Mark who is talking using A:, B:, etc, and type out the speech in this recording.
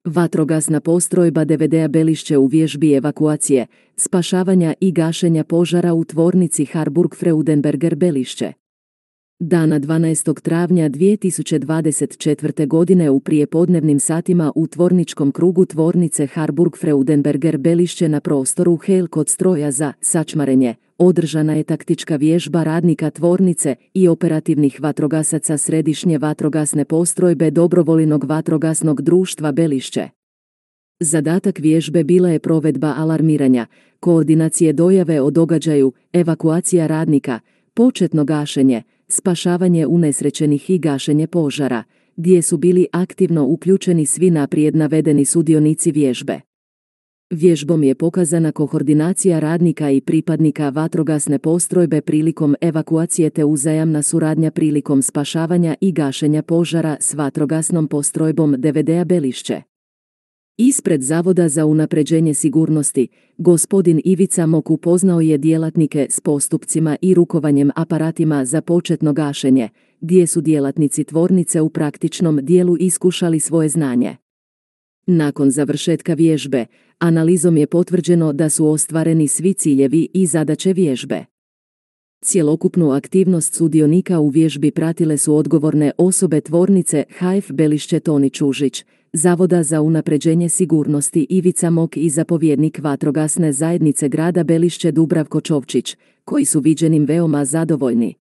A: Vatrogasna postrojba DVD-a Belišće u vježbi evakuacije, spašavanja i gašenja požara u tvornici Harburg Freudenberger Belišće. Dana 12. travnja 2024. godine u prijepodnevnim satima u tvorničkom krugu tvornice Harburg Freudenberger Belišće na prostoru Hel kod stroja za sačmarenje održana je taktička vježba radnika tvornice i operativnih vatrogasaca središnje vatrogasne postrojbe Dobrovoljnog vatrogasnog društva Belišće. Zadatak vježbe bila je provedba alarmiranja, koordinacije dojave o događaju, evakuacija radnika, početno gašenje, spašavanje unesrećenih i gašenje požara, gdje su bili aktivno uključeni svi naprijed navedeni sudionici vježbe. Vježbom je pokazana koordinacija radnika i pripadnika vatrogasne postrojbe prilikom evakuacije te uzajamna suradnja prilikom spašavanja i gašenja požara s vatrogasnom postrojbom DVD-a Belišće. Ispred Zavoda za unapređenje sigurnosti, gospodin Ivica Mok upoznao je djelatnike s postupcima i rukovanjem aparatima za početno gašenje, gdje su djelatnici tvornice u praktičnom dijelu iskušali svoje znanje. Nakon završetka vježbe, analizom je potvrđeno da su ostvareni svi ciljevi i zadaće vježbe. Cjelokupnu aktivnost sudionika u vježbi pratile su odgovorne osobe tvornice HF Belišće Toni Čužić, Zavoda za unapređenje sigurnosti Ivica Mok i zapovjednik vatrogasne zajednice grada Belišće Dubravko Čovčić, koji su viđenim veoma zadovoljni.